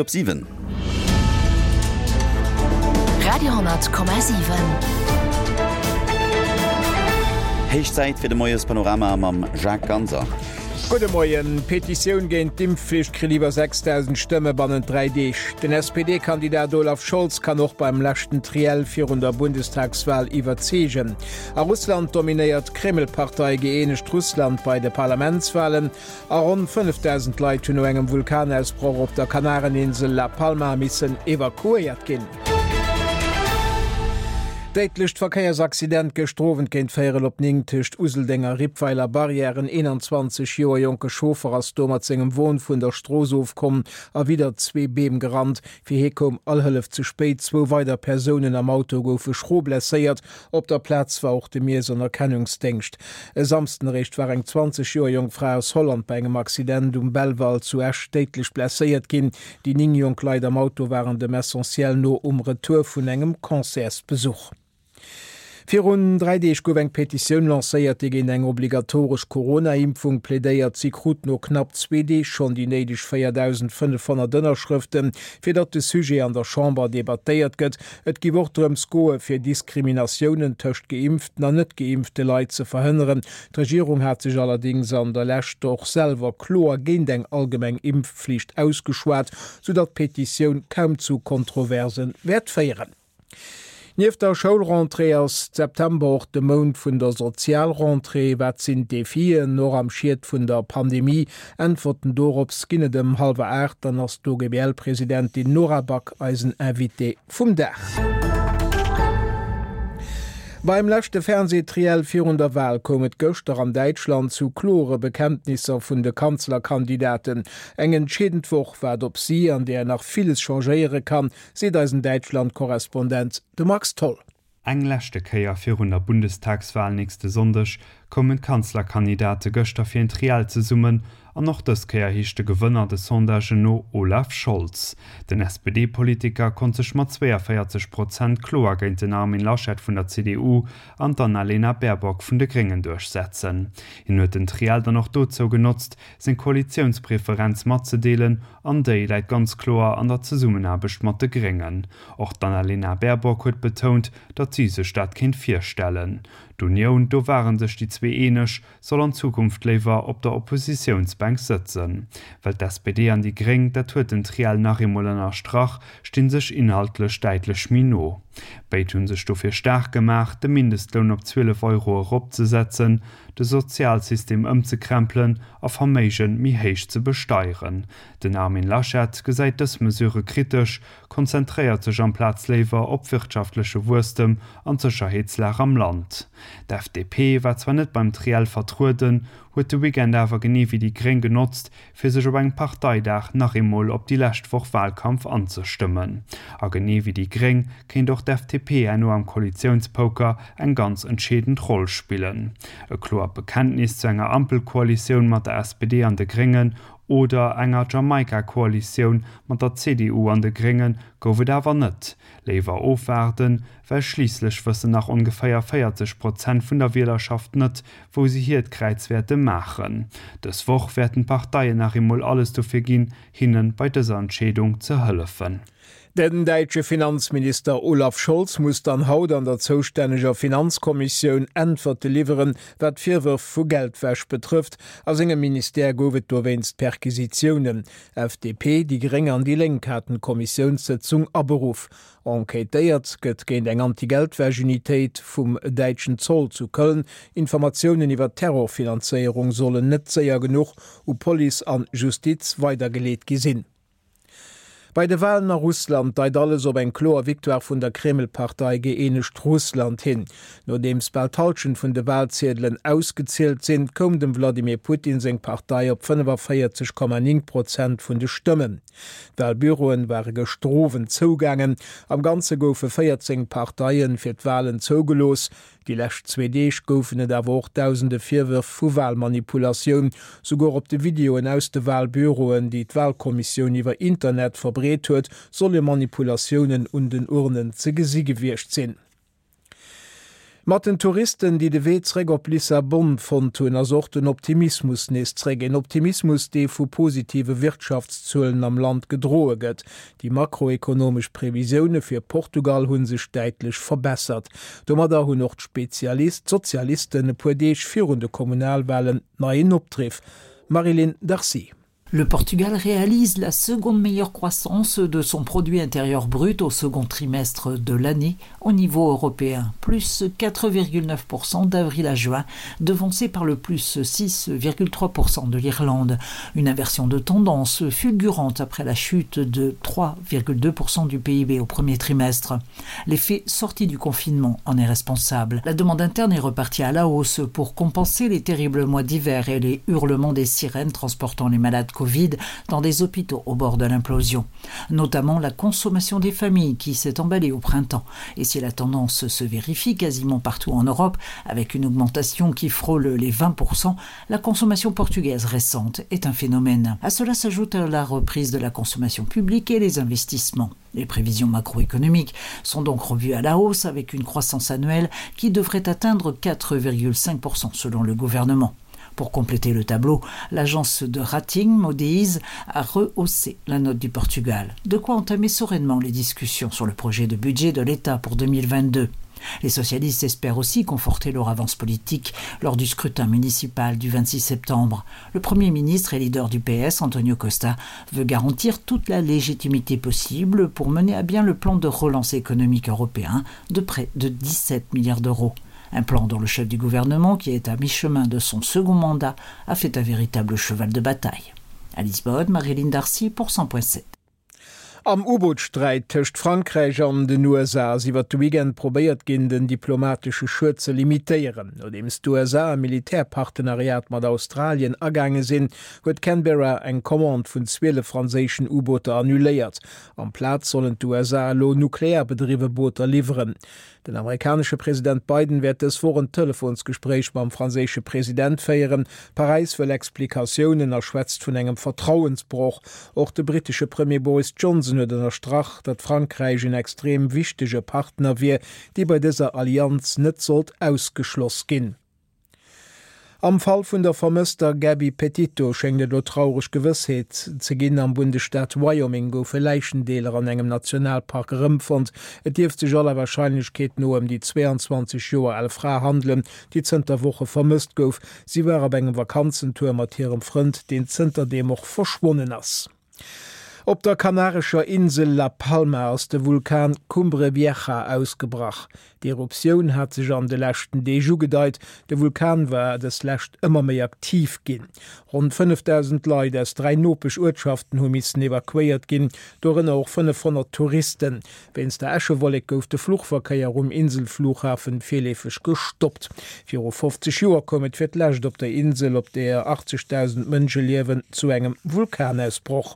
Op 7. Radio,7. Héich Zäit fir de Moiespanorama mam Jacques Ganser. Gudde Moien. D'Petitioun géint d'Impfflicht kritt iwwer 6.000 Stëmme bannent 3 Deeg. Den SPD-Kandidat Olaf Scholz kann och beim leschten Triell virun der Bundestagswal iwwerzeegen. A Russland dominéiert d'Kreml-Partei Gëeenegt Russland bei de Parlamentswalen. A ronn 5.000 Leit hunn no engem Vulkanausbroch op der Kanareninsel La Palma missen evakuéiert ginn. Déidlecht Verkéiersaccident gëschter Owend géint véierel op 9 tëscht Useldeng a Rippweiler Barrière. En 21 Joer jonke Chauffer ass do mat sengem Won vun der Strooss ofkomm a widder zwee Beem gerannt. Fir hie koum all Hëllef ze spéit. Zwou weider Persounen am Auto goufe schro blesséiert. Op der Plaz war och de Miess an Erkennungsdéngscht. E Samsden eréischt war eng 20 Joer jonk Fra aus Holland bei engem Accident um Belval zu Esch déidlech blesséiert ginn. Déi 9 jonk Leit am Auto waren dem Essentiel no um Retour vun engem Concertsbesuch. Virun 3 Deeg gouf eng Petitioun lancéiert, déi géint eng obligatoresch Corona-Impfung plädéiert. Si krut no knapp zwee Deeg schonn déi néideg 4.500 Ënnerschrëften, fir datt de Sujet an der Chamber debattéiert gëtt. Et giff och drëms goe fir Diskriminatiounen tëscht geimpften an net geimpfte Leit ze verhënneren. D'Regierung hat sech allerdéngs an der Lescht och selwer kloer géint eng allgemeng Impfflicht ausgeschwat, soudatt d'Petitioun kaum zu Kontroverse wäert féieren. Nieft der Schoulrentrée ass September och de Mount vun der Sozialrentrée. Wat sinn d'Defien, och am Schiet vun der Pandemie? Äntwerten dorops ginn et ëm hallwer 8. Dann ass d'OGBL-Presidentin Nora Back eisen Invité vum Dag. Beim leschte Fernseh-Triell virun der Wal koum et gëschter an Däitschland zu klore Bekenntnisser vun de Kanzlerkandidaten. Eng entscheedend Woch waart op si, an där nach villes changéiere kann, Seet eisen Däitschland-Korrespondent, de Max Tholl. Eng leschte Kéier virun der Bundestagswal nächste Sonndeg koumen d'Kanzlerkandidate gëschter fir een Triell zesummen an och dës Kéier heescht de Gewënner de Sondagen no Olaf Scholz. Den SPD-Politiker konnt sech mat 42 Prozent kloer géint den Armin Laschet vun der CDU an d'Annalena Baerbock vun de Gréngen duerchsetzen. Hien huet den Triell dann och dozou genotzt, seng Koalitiounspreferenz matzedeelen An déi läit ganz kloer an der Zesummenaarbecht mat de Gréngen. Och d'Annalena Baerbock huet betount, datt si sech dat kéint virstellen. D'Unioun, do ware sech déi zwee eeneg, soll an Zukunft léiwer op der Oppositiounsbänk sëtzen. Well d'SPD an déi Gréng, dat huet den Triell nach eemol ënnerstrach, sti sech inhaltlech däitlech méi no. Béid hu sech dofir staark gemaach, de Mindestloun op 12 Euro eropzesetzen, de Sozialsystem ëmzekrempelen a Verméige méi héich ze besteieren. Den Armin Laschet gesäit dës Mesure kritesch, konzentréiert sech amplaz léiwer op wirtschaftleche Wuesstem an d'Sécherheetslag am Land. D'FDP war zwar net beim Triell vertrueden, huet de Weekend awer genee wéi déi Gréng genotzt, fir sech op engem Parteidag nach eemol op déi lescht Woch Wahlkampf anzestëmmen. A genee wéi déi Gréng kéint och d'FDP herno am Koalitiounspoker eng ganz entscheedend Roll spillen. E kloert Bekenntnis zu enger Ampelkoalitioun mat der SPD an de Gréngen oder enger Jamaika-Koalitioun mat der CDU an de Grénge gouf et awer net. Léiwer ofwaarden, well schliisslech wëssen nach ongeféier 40 Prozent vun der Wielerschaft net, wou se hiert Kräiz wäerte maachen. Dës Woch wäerten d'Parteien nach eemol alles dofir ginn, hinne bei dëser Entscheedung ze hëllefen. Den däitsche Finanzminister Olaf Scholz muss dann haut an der zoustänneger Finanzkommissioun Äntwerte liwweren, wat d'Virwërf vu Geldwäsch betrëfft. A sengem Ministère gouf et dowéinst Perquisitiounen. FDP, déi Gréng an déi Lénk haten d'Kommissiounssëtzung aberuff. Enquêtéiert gëtt géint eng Anti-Geldwäsch-Unitéit vum däitschen Zoll zu Köln. Informatiounen iwwer Terrorfinanzéierung sollen net séier genuch u Police an Justiz weidergeleet gi sinn. Bei de Walen a Russland deit alles op eng kloer Victoire vun der Kreml-Partei Gëeenegt Russland hin. Nodeems bal d'Hallschent vun de Walziedelen ausgezielt sinn, koum dem Wladimir Putin seng Partei op 45,9 Prozent vun de Stëmmen. D'Walbüroen ware gëschter Owend zougaangen. Am Ganze goufe 14 Parteien fir d'Walen zougelooss. Déi lescht zwee Deeg goufen et awer och dausende Virwërf vu Walmanipulatioun. Souguer op de Videoen aus de Walbüroen, déi d'Walkommissioun iwwer Internet verbreet huet, solle Manipulatiounen un den Urnen ze gesi gewiescht sinn. Mat den Touristen, déi de Wee zréck op Lissabon fonnt hunn, ass och den Optimismus nees zréck. Een Optimismus, dee vu positive Wirtschaftszuelen am Land gedroe gëtt. Déi makroekonomesch Previsioune fir Portugal hu sech däitlech verbessert. Domadder hunn och d'Spezialist, d'Sozialisten e puer Deeg virun de Kommunalwalen neien Opdriff. Marie-Line Darcy. Le Portugal réalise la seconde meilleure croissance de son produit intérieur brut au second trimestre de l'année au niveau européen, plus 4,9% d'avril à juin, devancé par le plus 6,3% de l'Irlande. Une inversion de tendance fulgurante après la chute de 3,2% du PIB au premier trimestre. L'effet sorti du confinement en est responsable. La demande interne est repartie à la hausse pour compenser les terribles mois d'hiver et les hurlements des sirènes transportant les malades Covid dans des hôpitaux au bord de l'implosion. Notamment la consommation des familles qui s'est emballée au printemps. Et si la tendance se vérifie quasiment partout en Europe, avec une augmentation qui frôle les 20%, la consommation portugaise récente est un phénomène. À cela s'ajoute la reprise de la consommation publique et les investissements. Les prévisions macroéconomiques sont donc revues à la hausse avec une croissance annuelle qui devrait atteindre 4,5% selon le gouvernement. Pour compléter le tableau, l'agence de rating Moody's a rehaussé la note du Portugal. De quoi entamer sereinement les discussions sur le projet de budget de l'État pour 2022. Les socialistes espèrent aussi conforter leur avance politique lors du scrutin municipal du 26 septembre. Le premier ministre et leader du PS, Antonio Costa, veut garantir toute la légitimité possible pour mener à bien le plan de relance économique européen de près de 17 milliards d'euros. Un plan dont le chef du gouvernement, qui est à mi-chemin de son second mandat, a fait un véritable cheval de bataille. À Lisbonne, Marilyn Darcy pour 100.7. Am U-Boot-Sträit tëscht Frankräich an den USA ass iwwert de Weekend probéiert ginn, den diplomatesche Schued ze limitéieren. Nodeems d'USA e Militärpartenariat mat Australien agaange sinn, huet Canberra eng Commande vun 12 franséischen U-Booter annuléiert. Amplaz sollen d'USA elo nuklearbedriwwe Booter liwweren. Den amerikanesche President Biden wäert dës Woch en Telefonsgespréich mam franséische President féieren. Paräis wëll Explikatiounen a schwätzt vun engem Vertrauensbroch. Och de brittesche Premier Boris Johnson huet ënnerstrach, datt Frankräich en extrem wichtege Partner wier, dee bei dëser Allianz net sollt ausgeschloss ginn. Am Fall vun der vermësster Gabby Petito schéngt et elo traureg Gewëssheet ze ginn. Am Bundesstaat Wyoming goufe Läichendeeler an engem Nationalpark erëmfonnt. Et dierft sech aller Warscheinlechkeet no ëm déi 22 Joer al Fra handelen, déi zënter Woche vermësst gouf. Si war op engem Vakanzentour mat hirem Frënd, deen zënterdeem och verschwonnen ass. Op der kanarescher Insel La Palma ass de Vulkan Cumbre Vieja ausgebrach. D'Eruptioun hat sech an de leschten Deeg ugedeit. De Vulkan war dës lescht ëmmer méi aktiv ginn. Ronn 5.000 Leit aus 3 Nopesch-Uertschaften hu missen evakuéiert ginn, dorënner och 500 Touristen. Wéinst der Äschewollek gouf de Fluchverkéier um Inselflughafen virleefeg gestoppt. Viru 50 Joer koum et fir d'lescht op der Insel, op deeër 80.000 Mënsche liewen, zu engem Vulkanausbroch.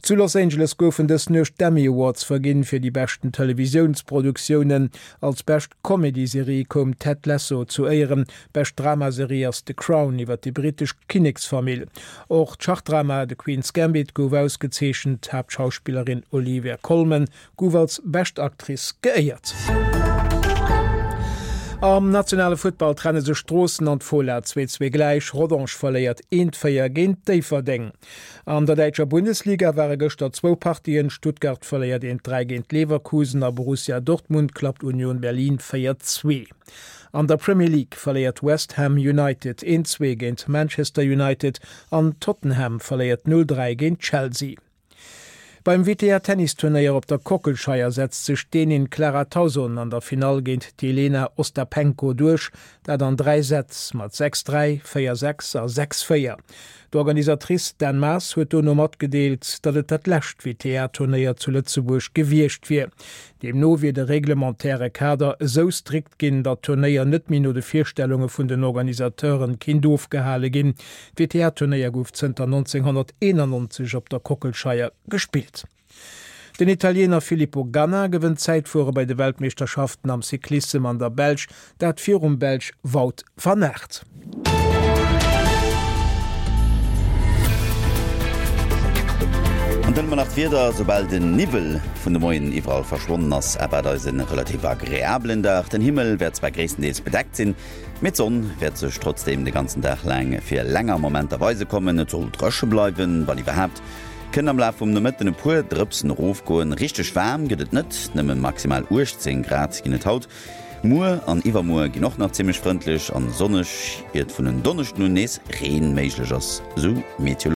Zu Los Angeles goufen dës Nuecht d'Emmy Awards verginn fir déi beschten Televisiounsproduktiounen. Als bescht Comedy-Serie koum Ted Lasso zu Éieren. Bescht Dramaserie ass The Crown iwwer déi brittesch Kinneksfamill. Och d'Schachdrama The Queen's Gambit gouf ausgezeechent. D'Haaptschauspillerin Olivia Colman gouf als bescht Actrice geéiert. Am nationale Futtball trenne sech Stroossen an d'Fola 2, 2 gläich. Rodange verléiert 1, 4 géint Déifferdeng. An der däitscher Bundesliga ware gëschter zwou Partien, Stuttgart verléiert 1, 3 géint Leverkusen a Borussia Dortmund klappt Union Berlin 4, 2. An der Premier League verléiert West Ham United 1, 2 géint Manchester United an Tottenham verléiert 0, 3 géint Chelsea. Beim WTA-Tennisturnéier op der Kockelscheier setzt sech d'Dänin Clara Tauson an der Finall géint d'Jelena Ostapenko duerch, dat an 3 Sätz mat 6, 3, 4, 6 a 6, 4. D'Organisatrice Dan Maas huet dono matgedeelt, datt et dat lescht WTA-Turnéier zu Lëtzebuerg gewiescht wier. Deemno wier de reglementaire Kader esou strikt ginn, datt d'Turnéier net méi no de Virstellunge vun den Organisateuren kinnt ofgehale ginn. D'WTA-Turnéier gouf zënter 1991 op der Kockelscheier gespillt. Den Italiener Filippo Ganna gewënnt d'Zäitfuere bei de Weltmeeschterschaften am Cyclissem an der Belsch, dat virum Belsch Wout van Aert. An. An dann hu mer nach d'Wieder, Soubal den Niwwel vun de Moien iwwerall verschwonnen ass, erwaart eis e relativ agreabelen Dag. Den Himmel wäert zwar gréisstendeels bedeckt sinn, mee d'Sonn wäert sech trotzdeem de ganzen Dag laang fir länger Momenter weise kommen. Et soll dréche bleiwen, wann iwwerhaapt kënnen am Laf vum Nomëtten e puer Drëpsen erofgoen. Richteg waarm gëtt et net, nëmme maximal 18 Grad ginn et haut. Muer an iwwermuer ginn och nach zimmlech frëndlech an sonneg, iert vun en Donneschden un nees Reen méiglech ass, sou Meteolux.